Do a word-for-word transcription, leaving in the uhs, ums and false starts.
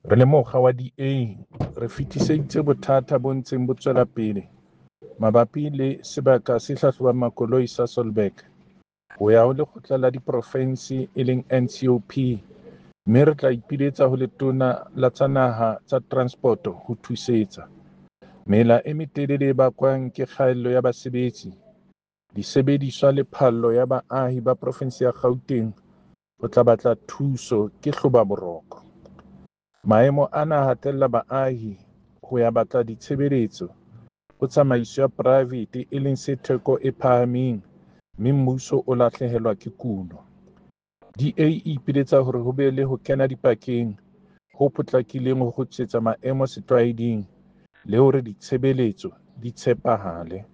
Re le mokga wa D A re fetiseditse bothata bo ntseng bo tswela pele mabapi le sebaka se hlahlobang makoloi Sasolburg ho ya ho Lekgotla la Diprofense e leng N C O P mme re tla ipiletsa ho Letona la tsa Naha tsa Transpoto ho thusetsa. Mela e metelele e bakwang ke kgaello ya basebetsi, disebediswa le phallo ya baahi ba profensi ya Gauteng ho tla batla thuso ke hlobaboroko. Maemo ana a hatella baahi ho ya batla ditshebeletso ho tsamaiso ya poraefete e leng se theko e phahameng mme mmuso o lahlehelwa ke kuno. D A e ipiletsa hore ho be le ho kena dipakeng ho potlakileng ho kgutlisetsa maemo setlwaeding le hore ditshebeletso di tshepahale.